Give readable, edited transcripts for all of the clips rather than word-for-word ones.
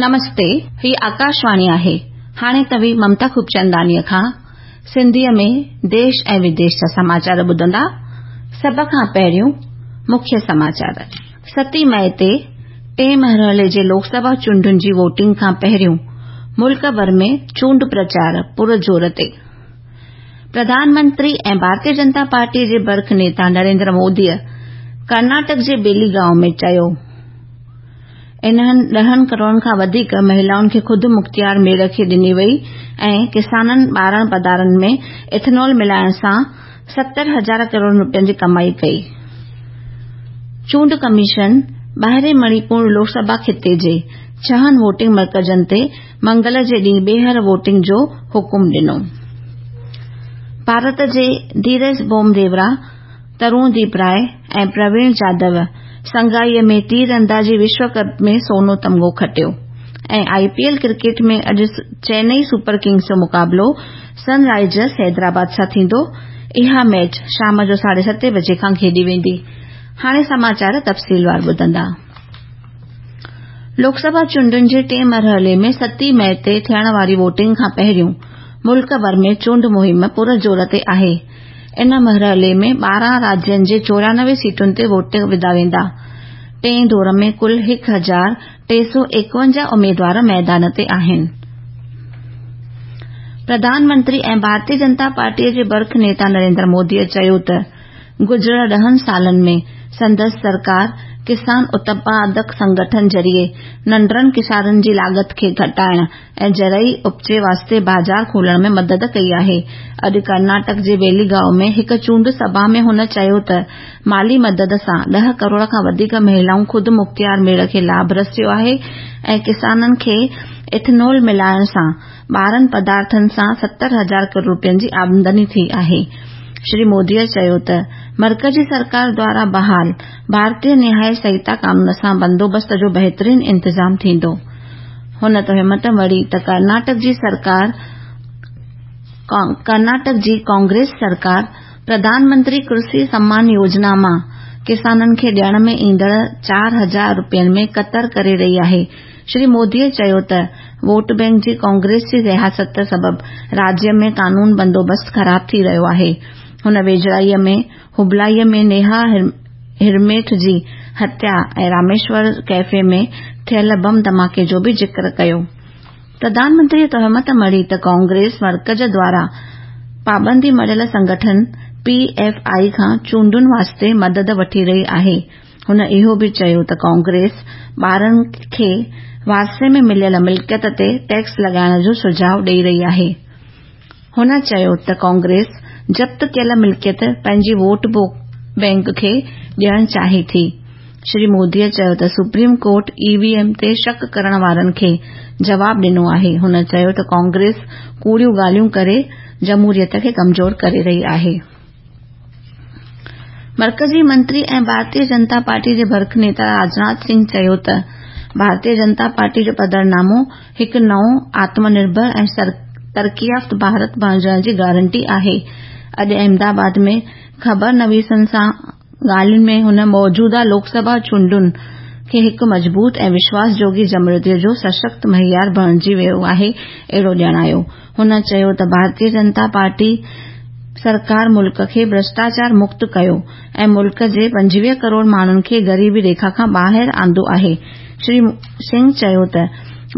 نمستي، هي آڪاشواڻي آهي. هاڻي توهين ممتا خوبچنداڻيء کان سنڌيء ۾ ديش ۽ وديش جا سماچار ٻڌندا. سڀ کان پهريون مکيه سماچار. ستين مئي تي ٽئين مرحلي جي لوڪ سڀا چونڊن جي ووٽنگ کان پهريون ملڪ ڀر ۾ چونڊ پرچار پر زور تي. پرڌان منتري ۽ ڀارتيه جنتا پارٽيء جي برک نيتا نريندر موديء ڪرناٽڪ جي بيلي گائون ۾ چيو. انهن ڏهن ڪروڙن کان وڌيڪ مهلائن کي خود مختيار ميڙ کي ڏني وئي ۽ ڪسانن ٻارڻ پدارن ۾ ايٿنول ملائڻ سان 70 هزار ڪروڙ روپين جي ڪمائي ڪئي. چونڊ ڪميشن ٻاهرين مڻيپور لوڪ سڀا خطي جي ڇهن ووٽنگ مرڪزن تي منگل جي ڏينهن ٻيهر ووٽنگ جو حڪم ڏنو. ڀارت جي ڌيرج بوم ديورا، ترون ديپ راء ۽ پرويڻ جادو شنگهائي ۾ تير اندازي وشو ڪپ ۾ سونو تمغو کٽيو ۽ آء پي ايل ڪرڪيٽ ۾ اڄ چينئي سپر ڪنگز جو مقابلو سن رائيزرز حيدرآباد سان ٿيندو. اها ميچ شام جو ساڍي ستين بجي کان کيڏي ويندي. هاڻي سماچار تفصيلوار ٻڌندا. لوڪ سڀا چونڊن جي ٽئين مرحلي ۾ ستين مئي تي ٿيڻ واري ووٽنگ کان پهريون ملڪ ڀر ۾ چونڊ مهم پر زور تي آهي. ان مرحلي ۾ 12 راجين جي 94 سيٽن تي ووٽ وڌا ويندا. ٽئين دور ۾ ڪل 1351 اميدوار ميدان تي آهن. پرڌان منتري ۽ ڀارتيه جنتا پارٽيء جي برک نيتا نريندر موديء چيو ته گذريل ڏهن سالن ۾ سندس سرڪار ڪسان اتپادڪ سنگٺن ذريعي ننڍڙن ڪسانن جي لاڳت کي گهٽائڻ ۽ زرعي اپجي واسطي بازار کولڻ ۾ مدد ڪئي آهي. اڄ ڪرناٽڪ جي بيليگائو ۾ هڪ چونڊ سڀا ۾ هن چيو ته مالي مدد سان ڏهه ڪروڙ کان وڌيڪ مهلائون خود مختيار ميڙ کي لاڀ رسيو آهي ۽ ڪسانن کي ايٿنول ملائڻ سان ٻارهن پدارٿن سان 70 هزار ڪروڙ روپين جي آمدني ٿي آهي. شري موديء چيو ته مرڪزي سرڪار دوارا بحال ڀارتيه نياء سنهتا قانون سان بندوبست جو بهترين انتظام ٿيندو. هن تهمت مڙهي ته ڪرناٽڪ جي سرڪار ڪرناٽڪ جي ڪانگريس سرڪار پرڌان منتري ڪرشي سمان يوجنا مان ڪسانن کي ڏيڻ ۾ ايندڙ 4000 روپين ۾ ڪتر ڪري رهي آهي. شري موديء چيو ته ووٽ بئنڪ جي ڪانگريس جي رياست سبب راجيه ۾ قانون بندوبست خراب ٿي رهيو آهي. هن ويجهڙائيء ۾ هبلائيء ۾ نيها هرميٺ جي هتيا ۽ راميشور ڪيفي ۾ ٿيل بم ڌماڪي جو به ذڪر ڪيو. پرڌان منتريء تهمت مڙهي ته ڪانگريس مرڪز دوارا پابندي مڙهيل سنگٺن پي ايف I کان چونڊن واسطي مدد وٺي رهي آهي. هن اهو به چيو ته ڪانگريس ٻارن کي وارثي ۾ مليل ملڪيت تي ٽيڪس لڳائڻ جو سجهاء ڏئي رهي آهي. هن چيو ته ڪانگريس ضبط ڪيل ملڪيت پنهنجي ووٽ بئنڪ کي ڏيڻ چاهي ٿي. شري موديء چيو ته supreme court E V M تي شڪ ڪرڻ وارن کي جواب ڏنو آهي. هن چيو ته ڪانگريس ڪوڙيون ڳالهيون ڪري جمهوريت کي ڪمزور ڪري رهي آهي. مرڪزي منتري ۽ ڀارتيه جنتا پارٽي جي برک نيتا راجناٿ سنگهه چيو ته ڀارتيه جنتا پارٽي جو پڌرنامو هڪ نئون آتم نرڀر ۽ ترقي يافته ڀارت بڻجڻ جي گارنٽي آهي. اڄ احمد آباد ۾ خبر نويسن سان ڳالهين ۾ هن موجوده لوڪ سڀا چونڊن کي هڪ مضبوط ۽ وشواس جوڳي جمهوريت جو سشڪت معيار بڻجي ويو آهي اهڙو ڄاڻايو. هن چيو ته ڀارتيه جنتا پارٽي سرڪار ملڪ کي ڀرشٽاچار مڪت ڪيو ۽ ملڪ جي 25 ڪروڙ ماڻهن کي غريبي ريکا کان ٻاهر آندو آهي. شري سنگهه چيو ته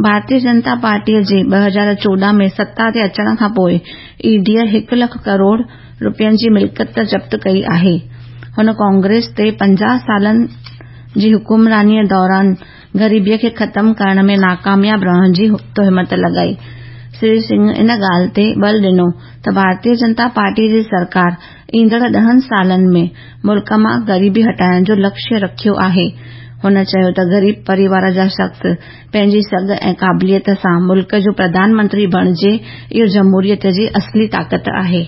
ڀارتيه جنتا پارٽيء جي 2014 ۾ ستا تي اچڻ کانپوء اي ڊيء هڪ لک ڪروڙ روپين جي ملڪيت ضبط ڪئي آهي. هن ڪانگريس تي 50 سالن جي حڪمرانيء دوران غريبيء کي ختم ڪرڻ ۾ ناڪامياب رهڻ جي تهمت لڳائي. شري سنگهه ان ڳالهه تي ٻل ڏنو ته ڀارتيه جنتا پارٽيء جي سرڪار ايندڙ ڏهن سالن ۾ ملڪ مان غريبي هٽائڻ جو لڪشيه رکيو آهي. هن چيو ته غريب پريوار جا شخص پنهنجي سگهه ۽ قابليت سان ملڪ جو پرڌان منتري بڻجي اهو جمهوريت جي اصلي طاقت آهي.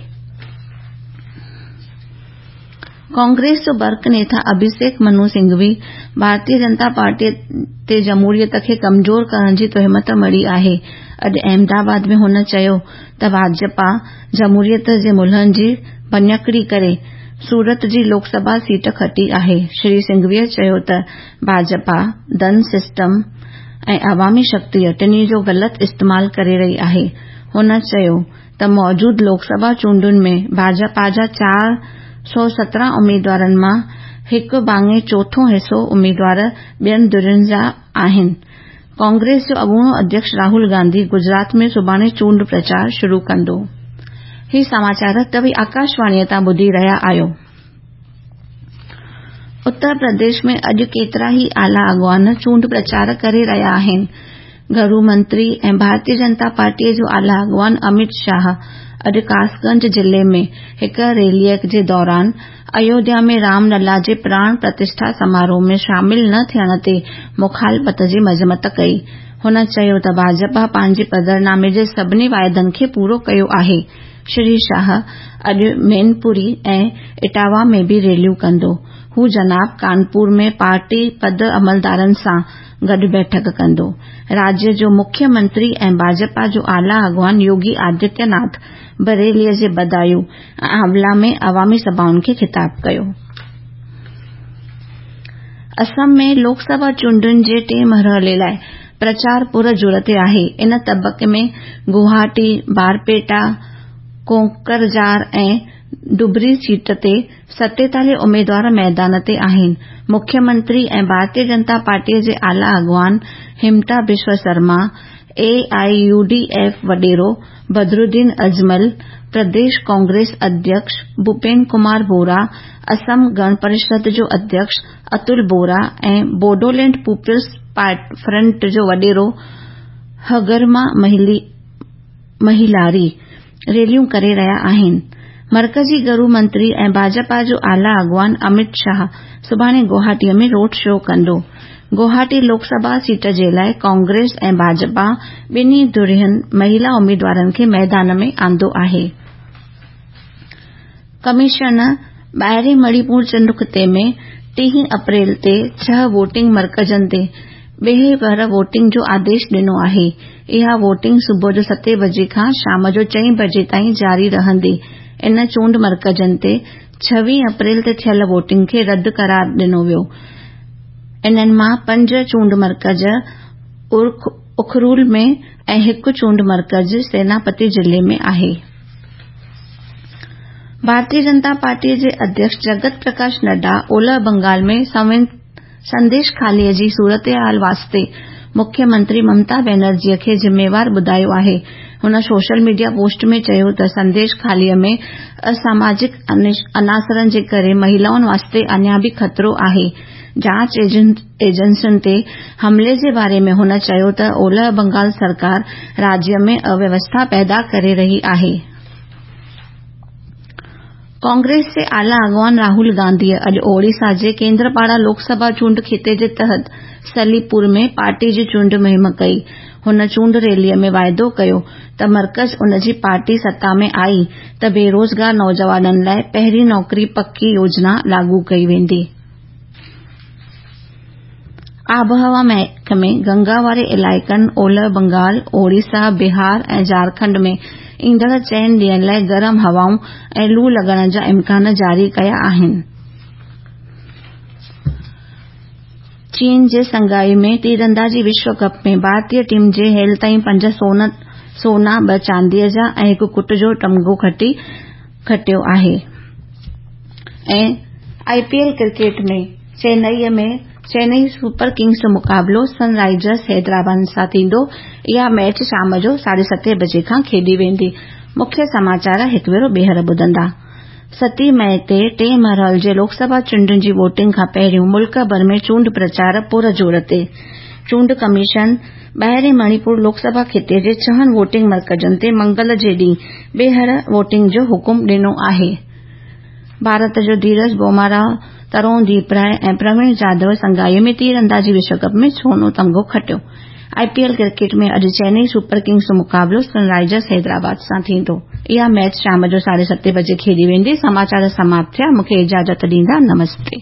ڪانگريس جو برک نيتا اڀيشيڪ منو سنگهوي ڀارتيه جنتا پارٽيء تي جمهوريت کي ڪمزور ڪرڻ جي تهمت مڙهي آهي. اڄ احمد آباد ۾ هن چيو ته ڀاجپا جمهوريت جي ملهن جي ڀڃڪڙي ڪري سورت جي لوڪ سڀا سيٽ کٽي آهي. شري سنگهويء چيو ته ڀاجپا ڌن سسٽم ۽ عوامي شڪتيء ٽنهي جو غلط استعمال ڪري رهي آهي. هن چيو ته موجود لوڪ سڀا چونڊن ۾ ڀاجپا جا 417 اميدوارن مان هڪ ڀاڱي چوٿون حصو اميدوار ٻين ڌرين جا آهن. ڪانگريس جو اڳوڻو اڌيڪش راهول گانڌي گجرات ۾ سڀاڻي چونڊ پرچار شروع ڪندو. هي سماچار توهين آڪاشواڻيء تان ٻڌي رهيا آهيو. اتر پرديش ۾ اڄ ڪيترا ئي اعليٰ اڳواڻ چونڊ پرچار ڪري رهيا آهن. گهرو منتري ۽ ڀارتيه جنتا پارٽيء جو اعليٰ اڳواڻ اميت شاهه اڄ ڪاسگنج ضلعي ۾ هڪ ريليء جي دوران ايوڌيا ۾ رام للا جي پراڻ پرتشٺا سماروهه ۾ شامل نه ٿيڻ تي مخالفت جي مذمت ڪئي. هن چيو ته ڀاجپا پنهنجي پڌرنامي جي سڀني واعدن کي پورو ڪيو آهي. شري شاهه اڄ مينپوري ۽ اٽاوا ۾ به ريليون ڪندو. هو جناب ڪانپور ۾ پارٽي پد عملدارن سان گڏ بيٺڪ ڪندو. راجيه جو مکيه منتري ۽ ڀاجپا جو اعليٰ اڳواڻ يوگي آدتيه ناٿ بريليء جي بدايون ۽ آنولا ۾ عوامي سڀائن کي خطاب ڪيو. اسم ۾ لوڪ سڀا چونڊن جي ٽئين مرحلي لاء پرچار پر زور تي آهي. ان طبقي ۾ گوهاٽي، بارپيٽا، ڪوڪرجار ۽ ڊبري سيٽ تي 47 اميدوار ميدان تي آهن. مکيه منتري ۽ ڀارتيه جنتا پارٽيء جي اعليٰ اڳواڻ Himanta Biswa Sarma, A I U D F وڏيرو بدرالدين اجمل، پرديش ڪانگريس اڌيڪش ڀوپين ڪمار بورا، اسم گڻ پريشد جو اڌيڪش اتل بورا ۽ بوڊولينڊ پيپلز فرنٽ جو وڏيرو هگرما مهيلاري ريليون ڪري رهيا آهن. مرڪزي گهرو منتري ۽ ڀاجپا جو اعليٰ اڳواڻ اميت شاهه سڀاڻي گوهاٽيء ۾ روڊ شو ڪندو. گوهاٽي لوڪ سڀا سيٽ جي لاء ڪانگريس ۽ ڀاجپا ٻنهي ڌرين مهيلا اميدوارن کي ميدان ۾ آندو آهي. ڪميشن ٻاهرين مڻيپور چونڊ خطي ۾ 30 اپريل تي ڇهه ووٽنگ مرڪزن تي ٻيهر ووٽنگ جو آديش ڏنو آهي. اها ووٽنگ صبح جو ستين بجي کان شام جو چئين بجي تائين جاري رهندي. ان چونڊ مرڪزن تي 26 اپريل تي ٿيل ووٽنگ کي رد قرار ڏنو ويو. انهن مان پنج چونڊ مرڪز اخرول ۾ ۽ هڪ چونڊ مرڪز سيناپتي ضلعي ۾ آهي. ڀارتيه جنتا پارٽيء جي اڌيڪش جگت پرڪاش نڊا اولهه بنگال ۾ سنديش خاليء جي صورتحال واسطي مکيه منتري ممتا بينرجيء کي ذميوار ٻڌايو آهي. هن سوشل ميڊيا پوسٽ ۾ چيو ته سنديش خاليء ۾ اساماجڪ عناصرن جي ڪري مهيلائن واسطي اڃا به خطرو آهي. جاچ ايجنسين تي حملي جي باري ۾ هن چيو ته اولهه بنگال سرڪار راجيه ۾ اويوسٿا پيدا ڪري رهي آهي. ڪانگريس جي اعليٰ اڳواڻ راهول گانڌيء اڄ اوڙيسا جي ڪيندرپاڙا لوڪ سڀا چونڊ خطي جي تحت سليپور ۾ پارٽي جي چونڊ مهم ڪئي. هن چونڊ ريليء ۾ واعدو ڪيو ته مرڪز ان جي پارٽي ستا ۾ آئي ته بيروزگار نوجوانن لاء پهرين نوڪري پڪي يوجنا لاڳو ڪئي ويندي. آبهوا محڪمي گنگا واري علائقن اولهه بنگال، اوڙيسا، بهار ۽ جهارکنڊ ۾ ايندڙ چئن ڏينهن لاء گرم هوائون ۽ لو لڳڻ جا امڪان جاري ڪيا آهن. چين جي شنگهائي ۾ تيراندازي وشو ڪپ ۾ ڀارتي ٽيم جي هيل تائين پنج سونا، ٻه چانديء جا ۽ هڪ ڪٽ جو تمغو کٽيو آهي. ۽ I P L cricket ۾ Chennai ۾ Chennai super Kings جو مقابلو سن رائيزرز حيدرآباد سان ٿيندو. اها ميچ شام جو ساڍي ستين بجي کان کيڏي ويندي. مکيه سماچار هڪ ڀيرو ٻيهر ٻڌندا. ستين مئي تي ٽئين مرحلي جي لوڪ سڀا چونڊن جي ووٽنگ کان پهريون ملڪ ڀر ۾ چونڊ پرچار پر زور تي. چونڊ ڪميشن ٻاهرين مڻيپور لوڪ سڀا خطي جي ڇهن ووٽنگ مرڪزن تي منگل جي ڏينهن ٻيهر ووٽنگ جو حڪم ڏنو آهي. ڀارت جو ڌيرج بومارا، ترون ديپ راء ۽ پروين جادو شنگهائي ۾ تيراندازي وشو ڪپ ۾ سونو تمغو کٽيو. آء پي ايل ڪرڪيٽ ۾ اڄ چينئي سپر ڪنگز جو مقابلو سن رائيزرز حيدرآباد سان ٿيندو. اها ميچ شام جو ساڍي ستين بجي کيڏي ويندي. سماچار سماپت ٿيا. مون کي اجازت ڏيندا. نمستي.